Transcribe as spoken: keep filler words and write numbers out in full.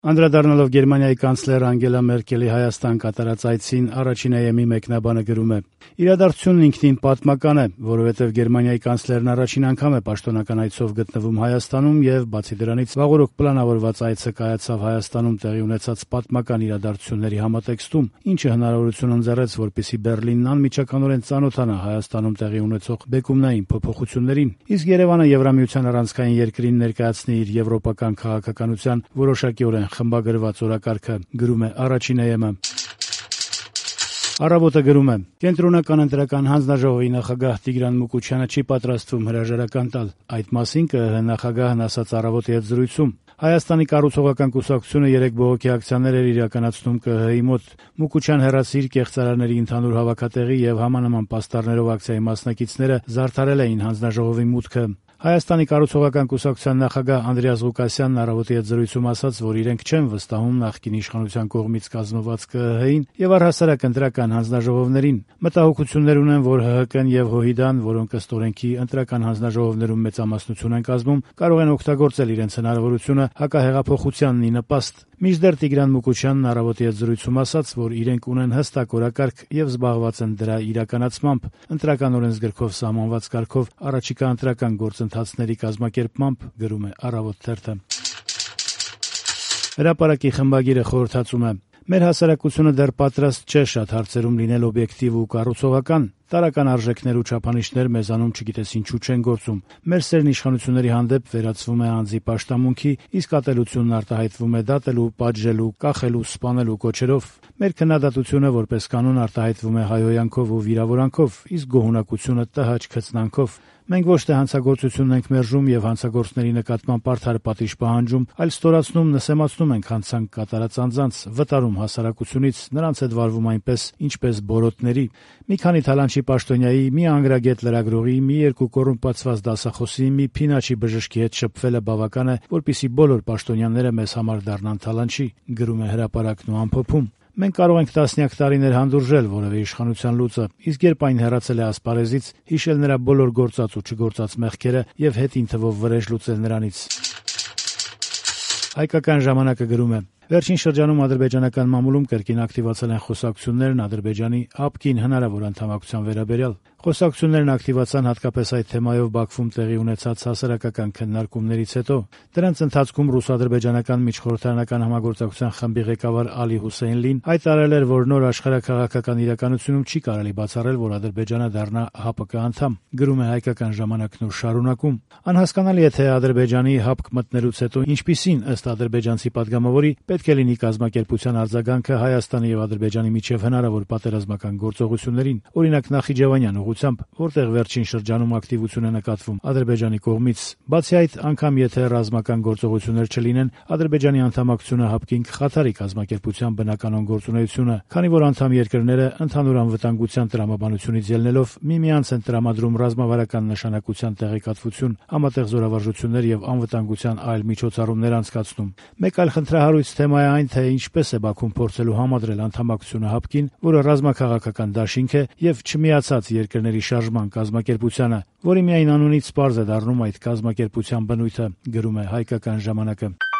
Անդրադառնալով Գերմանիայի կանցլեր Անգելա Մերկելի Հայաստան կատարած այցին, առաջին Է Էմ-ի մեկնաբանը գրում է. «Իրադարձությունն ինքնին պատմական է, որովհետև Գերմանիայի կանցլերն առաջին անգամ է պաշտոնական այցով գտնվում Հայաստանում եւ, բացի դրանից, վաղօրոք պլանավորված այցը կայացավ Հայաստանում տեղի ունեցած պատմական իրադարձությունների համատեքստում, ինչը հնարավորություն ընձեռեց, որպեսզի Բեռլինն անմիջականորեն ծանոթանա Հայաստանում տեղի ունեցող բեկումնային փոփոխություններին, իսկ Երևանը Եվրամիության առանցքային երկրին ներկայացնի իր եվրոպական քաղաքականության որոշակիորեն խմբագրված օրակարգը», գրում է առաջին Է Էմ-ը։ Առավոտը գրում է. «Կենտրոնական ընտրական հանձնաժողովի նախագահ Տիգրան Մուկուչյանը չի պատրաստվում հրաժարական տալ։ Այդ մասին Կը Հ նախագահն ասաց «Առավոտի» հետ զրույցում։ Հայաստանի կառուցողական կուսակցությունը երեք բողոքի ակցիաներ էր իրականացնում Կը Հ-ի մոտ։ Մուկուչյան հեռացիր կեղծարարների ընդհանուր հավաքատեղի եւ համանման պաստառներով ակցիայի մասնակիցները զարդարել էին հանձնաժողովի մուտքը։ Հայաստանի կառուցողական կուսակցության նախագահ Անդրեաս Ղուկասյանն «Առավոտի» հետ զրույցում ասաց, որ իրենք չեն վստահում նախկին իշխանության կողմից կազմված Կը Հ-ին եւ առհասարակ ընտրական հանձնաժողովներին։ Մտահոգություններ ունեն, որ Հ Հ Կն եւ Հոհիդան, որոնք ըստ օրենքի ընտրական հանձնաժողովներում մեծամասնություն են կազմում, կարող են օգտագործել իրենց հնարավորությունը հակահեղափոխությանն ի նպաստ։ Մինչդեռ Տիգրան Մուկուչյանն «Առավոտի» հետ զրույցում ասաց, որ իրենք ունեն հստակ օրակարգ եւ զբաղված են դրա իրականացմամբ, ընտրական օրենսգրքով սահմանված կարգով առաջիկա ընտրական գործընթացների կազմակերպմամբ, գրում է «Առավոտ» թերթը։ Հրապարակի խմբագիրը խորհրդածում է. «Մեր հասարակությունը դեռ պատրաստ չէ շատ հարցերում լինել օբյեկտիվ ու կառուցողական։ Տարրական արժեքներ ու չափանիշներ մեզանում չգիտես ինչու չեն գործում։ Մեր սերն իշխանությունների հանդեպ վերածվում է անձի պաշտամունքի, իսկ ատելությունն արտահայտվում է դատելու, պատժելու, կախելու, սպանելու կոչերով։ Մեր քննադատությունը որպես կանոն արտահայտվում է հայհոյանքով ու վիրավորանքով, իսկ գոհունակությունը տհաճ քծնանքով։ Մենք ոչ թե հանցագործությունն ենք մերժում եւ հանցագործների նկատմամբ արդար պատիժ պահանջում, այլ ստորացնում, նսեմացնում ենք հանցանք կատարած անձանց, վտարում հասարակությունից, նրանց հետ վարվում այնպես, ինչպես բորոտների։ Մի քանի թալանչի պաշտոնյայի, մի անգրագետ լրագրողի, մի երկու կոռումպացված դասախոսի, մի փինաչի բժշկի հետ շփվելը բավական է, որպեսզի բոլոր պաշտոնյաները մեզ համար դառնան թալանչի», գրում է Հրապարակն ու ամփոփում։ Մենք կարող ենք տասնյակ տարիներ հանդուրժել որևէ իշխանության լուծը, իսկ երբ այն հեռացել է ասպարեզից, հիշել նրա բոլոր գործած ու չգործած մեղքերը եւ հետին թվով վրեժ լուծել նրանից։ Հայկական ժամանակը գրում է. «Վերջին շրջանում ադրբեջանական մամուլում կրկին ակտիվացել են խոսակցություններն Ադրբեջանի ՀԱՊԿ-ին հնարավոր անդամակցության վերաբերյալ։ Խոսակցություններն ակտիվացան հատկապես այդ թեմայով Բաքվում տեղի ունեցած հասարակական քննարկումներից հետո։ Դրանց ընթացքում ռուս-ադրբեջանական միջխորհրդարանական համագործակցության խմբի ղեկավար Ալի Հուսեյնլին հայտարարել էր, որ նոր աշխարհաքաղաքական իրականությունում չի կարելի բացառել, որ Ադրբեջանը դառնա ՀԱՊԿ անդամ», գրում է Հայկական ժամանակն ու շարունակում. «Անհասկանալի է, թե Ադրբեջանի ՀԱՊԿ մտնելուց հետո ինչպիսին, ըստ ադրբեջանցի падգամավորի, պետք է լինի կազմակերպության արձագանքը Հայաստանի եւ Ադրբեջանի միջև հնարավոր պատերազմական գործողություններին, օրինակ Նախիջևանյան ուղղությամբ, որտեղ վերջին շրջանում ակտիվություն է նկատվում Ադրբեջանի կողմից։ Բացի այդ, անգամ եթե ռազմական գործողություններ չլինեն, Ադրբեջանի անդամակցությունը ՀԱՊԿ-ին կխաթարի կազմակերպության բնականոն գործունեությունը, քանի որ անդամ երկրները ընդհանուր անվտանգության տրամաբանությունից ելնելով միմյանց են տրամադրում ռազմավարական նշանակության տեղեկատվություն, համատեղ զորավարժություններ եւ անվտանգության այլ միջոցառումներ անցկացնում։ Մեկ այլ խնդրահարույց թեմա է այն, թե ինչպես է Բաքուն փորձելու համադրել անդամակցությունը ՀԱՊԿ-ին, որը ռազմաքաղաքական դաշինք է եւ չմիացած երկրների շարժման կազմակերպությանը, որի միայն անունից պարզ է դառնում այդ կազմակերպության բնույթը, գրում է Հայկական ժամանակը։